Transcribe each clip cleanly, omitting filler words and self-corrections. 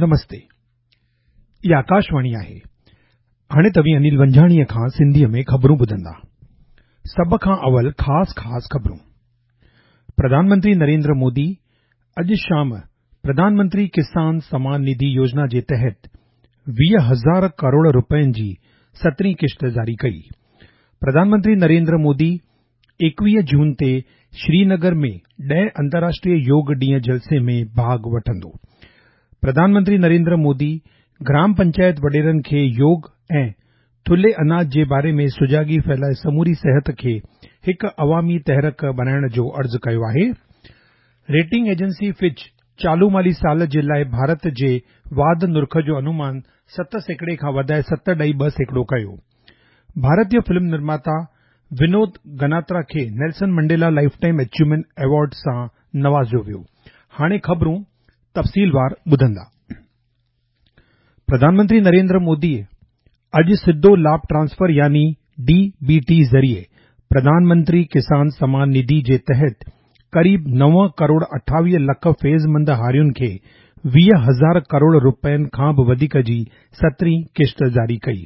نمستي. هي آڪاشواڻي آهي. هاڻي توهين انيل ونجهاڻيء کان سنڌيء ۾ خبرون ٻڌندا. سڀ کان اول خاص خاص خبرون. پرڌان منتري نريندر مودي اڄ شام پرڌان منتري ڪسان سمان نڌي يوجنا جي تحت 20,000 ڪروڙ رپين جي سترهين قسط جاري ڪئي. پرڌان منتري نريندر مودي 21 جون تي شرينگر ۾ ڏهين انترراشٽريه يوگ ڏينهن جلسي ۾ ڀاڳ وٺندو. پرڌان منتري نريندر مودي گرام پنچائت وڏيرن کي يوگ ۽ ٿلهي اناج جي باري ۾ سجاڳي ڦهلائي سموري صحت کي هڪ عوامي تحرڪ بڻائڻ جو عرض ڪيو آهي. ريٽنگ ايجنسي فچ چالو مالي سال جي لاء ڀارت جي واڌ نرخ جو انومان 7% کان وڌائي 7.2% ڪيو. ڀارتي فلم نرماتا ونود گناترا کي Nelson Mandela lifetime achievement award سان نوازيو ويو. هاڻي خبرون تفصيلوار ٻڌندا. پرڌان منتري نريندر مودي اڄ سڌو لاڀ ٽرانسفر يعني ڊي بي ٽي ذريعي پرڌان منتري ڪسان سمان نڌي جي تحت قريب 9 ڪروڙ 28 لک فيض مند هارين کي 20,000 ڪروڙ رپين کان به وڌيڪ جي سترهين قسط جاري ڪئي.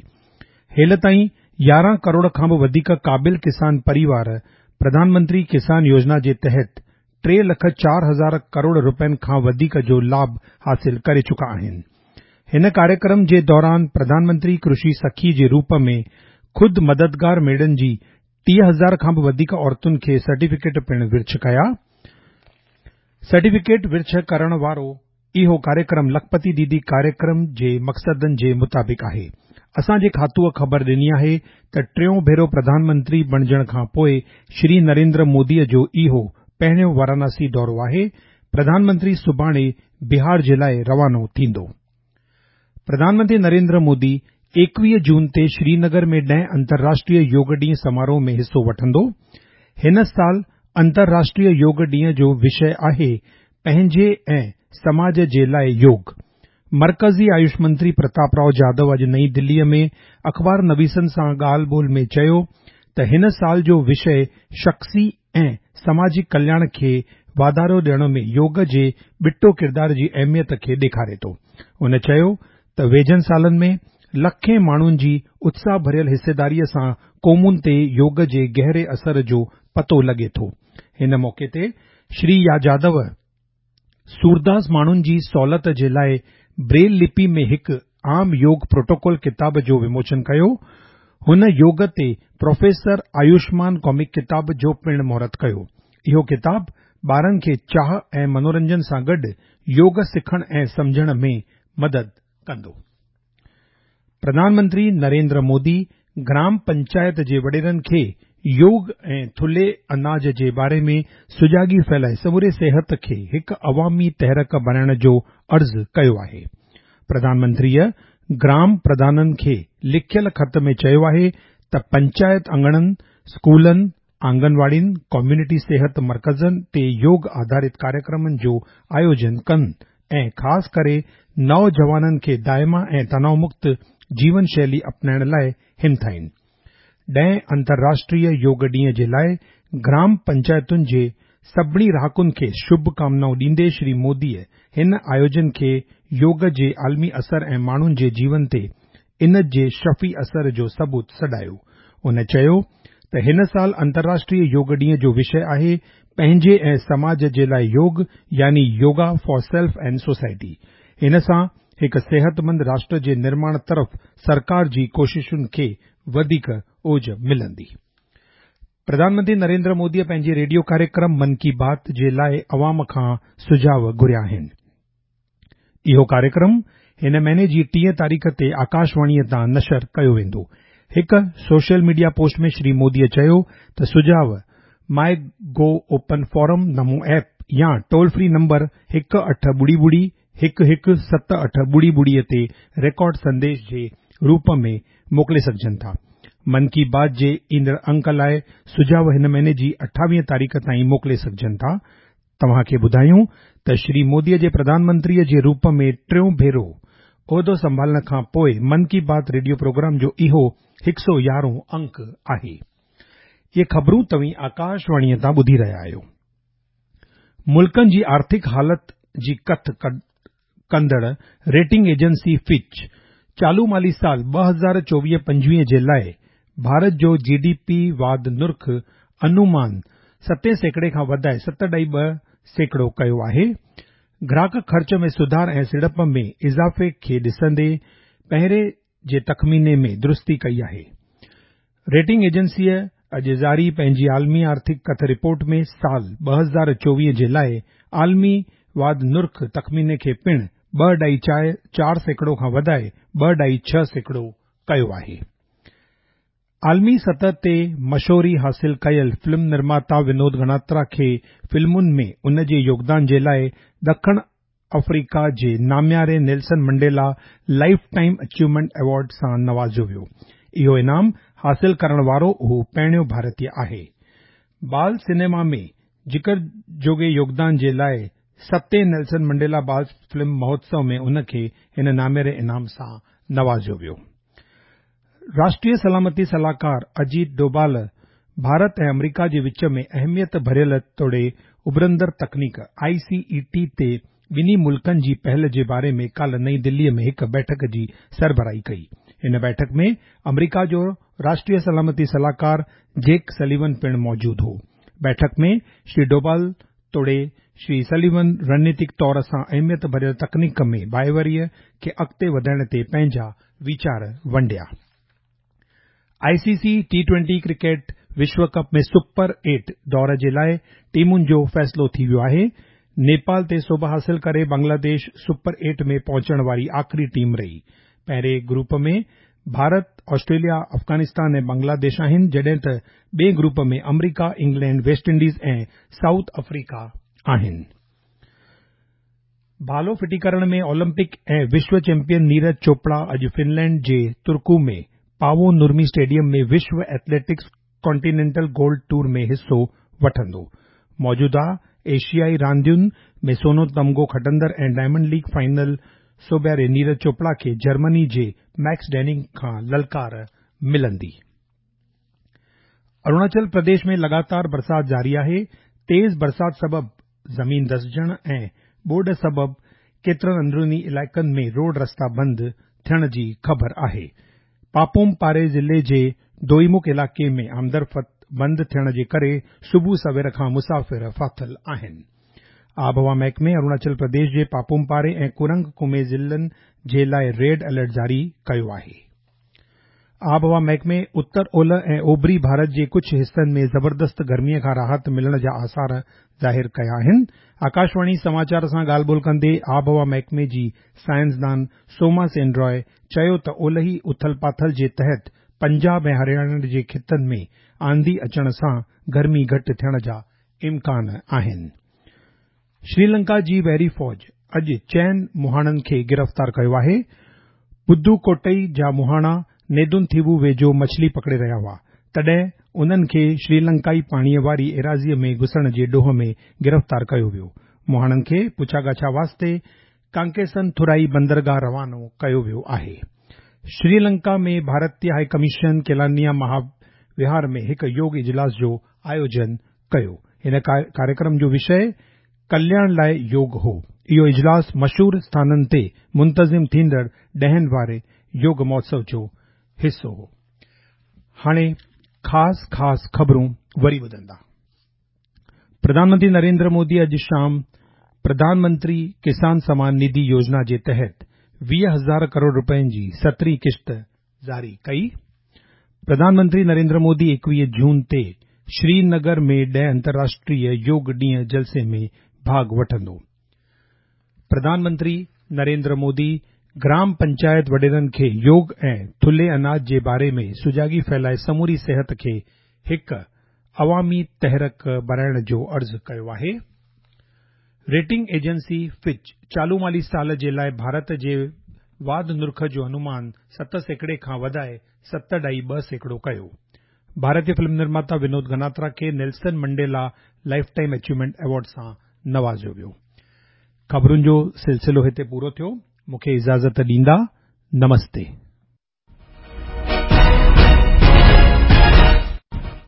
هيل تائين 11 ڪروڙ کان به وڌيڪ قابل ڪسان پريوار پرڌان منتري ڪسان يوجنا جي تحت 3 لک 4 هزار ڪروڙ رپين کان وڌيڪ جو لاڀ حاصل ڪري چڪا آهن. هن ڪاريڪرم جي دوران پرڌان منتري ڪرشي سکي جي روپ ۾ خود مددگار ميڙن جي 30,000 کان به وڌيڪ عورتن کي سرٽيفڪيٽ پڻ ورڇ ڪيا. سرٽيفڪيٽ ورڇ ڪرڻ وارو اهو ڪاريڪرم لکپتي ديدي ڪاريڪرم جي مقصدن جي مطابق آهي. اسان جي کاتوء خبر ڏني آهي ته ٽيون ڀيرو پرڌان منتري بڻجڻ کان پوء شري نريندر موديء جو اهو پهريون واراناسي دورو آهي. پرڌان منتري سڀاڻي بهار جي لاء روانو ٿيندو. پرڌان منتري نريندر مودي 21 جون تي شرينگر ۾ ڏهين انترراشٽريه يوگ ڏينهن سماروهه ۾ حصو وٺندو. هن سال انترراشٽريه يوگ ڏينهن جو وشيه آهي پنهنجي ۽ سماج جي لاء يوگ. مرڪزي آيوش منتري پرتاپ رائو جادو اڄ نئين دليء ۾ اخبار نويسن سان ڳالهه ٻولهه ۾ چيو ته هن سال جو وشيه شخصي ۽ سماجي ڪلياڻ کي واڌارو ڏيڻ ۾ يوگ جي ٻٽو ڪردار جي اهميت کي ڏيکاري ٿو. هن چيو ته ويجهن سالن ۾ لکين ماڻهن جي اتساهه ڀريل حصيداريء سان قومن تي يوگ جي گهري اثر جو پتو لڳي ٿو. هن موقعي تي شري جادو سورداس ماڻهن جي سهولت جي لاء بريل لپي ۾ هڪ عام يوگ پروٽوڪول ڪتاب جو وموچن ڪيو. هن يوگ تي پروفيسر آيوشمان ڪامڪ ڪتاب جو پڻ مهورت ڪيو. اهو ڪتاب ٻارن کي چاهه ۽ منورنجن سان گڏ يوگ سکڻ ۽ سمجهڻ ۾ مدد ڪندو. پرڌان منتري نريندر مودي گرام پنچائت جي وڏيرن کي يوگ ۽ ٿلهي اناج جي باري ۾ سجاڳي ڦهلائي سموري صحت کي هڪ عوامي تحرڪ بڻائڻ جو عرض ڪيو آهي. پرڌان منتريء گرام پرڌانن کي لکيل خط ۾ چيو آهي ته پنچائت اڱڻن، اسڪولن، آنگنواڙين، ڪميونٽي صحت مرڪزن تي يوگ آڌارت ڪاريڪرمن جو آيوجن ڪن ۽ خاص ڪري نوجوانن کي دائما ۽ تناءُ مڪت جيون شيلي اپنائڻ لاء همٿائين. ڏهين انترراشٽريه يوگ ڏينهن جي لاء گرام پنچائتن جي سڀني رهاڪن کي شڀ ڪامنائون ڏيندي شري موديء هن آيوجن کي يوگ جي عالمي اثر ۽ ماڻهن جي جيون تي ان جي شفي اثر جو ثبوت سڏايو. هن چيو ته هن سال انترراشٽريه يوگ ڏينهن جو وشيه آهي پنهنجي ۽ سماج جي لاء يوگ يعني yoga for self and society. ان سان هڪ صحتمند راشٽر جي نرماڻ طرف سرڪار جي ڪوششن کي وڌيڪ اوج ملندي. پرڌان منتري نريندر موديء پنهنجي ريڊيو ڪاريڪرم من ڪي بات جي لاء عوام کان سجهاءُ گهريا آهن. اهو ڪاريڪرم هن مهيني جي 30 تاريخ تي آڪاشواڻيء تان نشر ڪيو ويندو. هڪ سوشل ميڊيا پوسٽ ۾ شري موديء چيو ته سجهاءُ ماءِ گو اوپن فورم، نمو ايپ يا ٽول فري نمبر 1 8 00 1 1 7 8 0 0 تي رڪارڊ سنديش جي روپ ۾ موڪلي سگهجن ٿا. من ڪي بات جي ايندڙ انڪ لاء سجهاءُ هن مهيني جي 28 تاريخ تائين موڪلي سگهجن ٿا. توهان کي ٻڌايون ته شري موديء جي پرڌان منتريء جي روپ ۾ ٽيون ڀيرو عهدو سنڀالڻ کان پوء من ڪي بات ريڊيو پروگرام جو اهو 111 انڪ آهي. اهي خبرون توهين آڪاشواڻيء تان ٻڌي رهيا آهيو. ملڪن جي آرٿڪ حالت جي ڪٿ ڪندڙ ريٽنگ ايجنسي فچ چالو مالي سال 2024-25 جي لاءِ ڀارت جو جي ڊي پي واڌ نرخ انومان 7 سيڪڙي کان وڌائي 7.2% ڪيو آهي. گراهڪ خرچ ۾ سڌار ۽ سيڙپ ۾ اضافي کي ڏسندي پهرين جي تخميني ۾ درستي ڪئي آهي. ريٽنگ ايجنسيء اڄ جاري پنهنجي عالمي آرٿڪ ڪٿ رپورٽ ۾ سال 2024 جي لاءِ عالمي واڌ نرخ تخميني کي پڻ 2.4% کان وڌائي 2.6% ڪيو آهي. عالمي سطح تي مشهوري حاصل ڪيل فلم نرماتا ونود گناترا کي فلمن ۾ ان جي يوگدان جي لاءِ ڏکڻ آفريڪا جي نامياري Nelson Mandela lifetime achievement award سان نوازيو ويو. اهو انعام حاصل ڪرڻ وارو هو پهريون ڀارتيه آهي. بال سئنيما ۾ ذڪر جوڳي يوگدان جي لاءِ ستين نيلسن منڊيلا بال فلم مهوتسو ۾ ان کي هن نامياري انعام سان نوازيو ويو. راشٽريه سلامتي صلاحڪار اجيت ڊوڀال ڀارت ۽ آمريڪا جي وچ ۾ اهميت ڀريل توڙي اڀرندڙ تڪنيڪ آء سي اي ٽي تي ٻنهي ملڪن جي پهل جي باري ۾ ڪالهه نئين دلي ۾ هڪ بيٺڪ جي سربراهي ڪئي. هن بيٺڪ ۾ آمريڪا جو راشٽريه سلامتي صلاحڪار جيڪ سليون پڻ موجود هو. بيٺڪ ۾ شري ڊوڀال توڙي شري سليون رڻنيتڪ طور سان اهميت ڀريل تڪنيڪ ۾ ڀائيواريءَ کي اڳتي وڌائڻ تي پنهنجا ويچار ونڊيا. I C C T20 cricket وشو ڪپ ۾ سپر ايٽ دور جي لاءِ ٽيمن جو فيصلو ٿي ويو آهي. نيپال تي سوڀ حاصل ڪري بنگلاديش سپر ايٽ ۾ پهچڻ واري آخري ٽيم رهي. پهرين گروپ ۾ ڀارت، آسٽريليا، افغانستان ۽ بنگلاديش آهن، جڏهن ته ٻئي گروپ ۾ آمريڪا، England, West Indies ۽ South Africa آهن. ڀالو ڦٽي ڪرڻ ۾ اولمپڪ ۽ وشو چيمپيئن نيرج چوپڙا اڄ فنلينڊ جي ترڪو ۾ پاوو نورمي اسٽيڊيم ۾ وشو ايٿليٽڪس ڪانٽينينٽل گولڊ ٽوئر ۾ حصو وٺندو. موجوده ايشيائي راندين ۾ سونو تمغو کٽندڙ ۽ ڊائمنڊ ليگ فائنل سوڀياري نيرج چوپڙا کي جرمني جي ميڪس ڊيننگ کان للڪار ملندي. اروناچل پرديش ۾ لڳاتار برسات جاري آهي. تيز برسات سبب زمين دسجڻ ۽ ٻوڏ سبب ڪيترن اندروني علائقن ۾ روڊ رستا بند ٿيڻ جي خبر آهي. پاپوم پاري ضلعي جي دوئيمک علائقي ۾ آمدرفت بند ٿيڻ جي ڪري صبح سوير کان مسافر ڦاٿل آهن. آبهوا محڪمي اروناچل پرديش جي پاپوم پاري ۽ ڪرنگ ڪمي ضلعن جي لاءِ ريڊ الرٽ جاري ڪيو آهي. آبهوا محڪمي اتر اولهه ۽ اوڀري ڀارت جي ڪجهه حصن ۾ زبردست گرميءَ کان راحت ملڻ جا آثار ظاهر ڪيا آهن. آڪاشواڻي سماچار سان ڳالهه ٻولهه ڪندي آبهوا محڪمي جي سائنسدان سوما سين راءِ چيو ته اولهي اٿل پاٿل جي تحت پنجاب ۽ هرياڻا جي خطن ۾ آنڌي اچڻ سان گرمي گهٽ ٿيڻ جا امڪان آهن. شريلنڪا جي بحري فوج اڄ چئن مهاڻن کي گرفتار ڪيو آهي. پدو ڪوٽئي جا مهاڻا نيدن ٿيوو ويجهو مڇلي پڪڙي رهيا هئا، تڏهن انهن کي شريلنڪائي پاڻيءَ واري ايراضيءَ ۾ گهسڻ جي ڏوهه ۾ گرفتار ڪيو ويو. مهاڻن کي پڇاڳاڇا واسطي ڪانڪيسن ٿرائي بندرگاهه روانو ڪيو ويو آهي. شريلنڪا ۾ ڀارتي هائي ڪميشن ڪيلانيا مهاوهار ۾ هڪ يوگ اجلاس جو آيوجن ڪيو. هن ڪاريڪرم جو وشي ڪلياڻ لاءِ يوگ هو. اهو اجلاس مشهور اسٿانن تي منتظم ٿيندڙ ڏهن واري يوگ مهوتسو جو حصو هو. هاڻي خاص خاص خبرون وري ٻڌندا. پرڌان منتري نريندر مودي اڄ شام پرڌان منتري ڪسان سمان نڌي يوجنا جي تحت 20,000 ڪروڙ رپين جي 17هين قسط جاري ڪئي. پرڌان منتري نريندر مودي 21 جون تي شرينگر ۾ 10 انترراشٽريه يوگ ڏينهن جلسي ۾ ڀاڳ وٺندو. پرڌان منتري نريندر مودي گرام پنچائت وڏيرن کي يوگ ۽ ٿلهي اناج جي باري ۾ سجاڳي ڦهلائي سموري صحت کي هڪ عوامي تحرڪ بڻائڻ جو عرض ڪيو آهي. ريٽنگ ايجنسي فچ چالو مالي سال جي لاءِ ڀارت جي واڌ نرخ جو انومان 7% کان وڌائي 7.2% ڪيو. ڀارتي فلم نرماتا ونود گناترا کي Nelson Mandela lifetime achievement award سان نوازيو ويو. خبرن جو سلسلو هتي پورو ٿيو. مون کي اجازت ڏيندا. نمستي.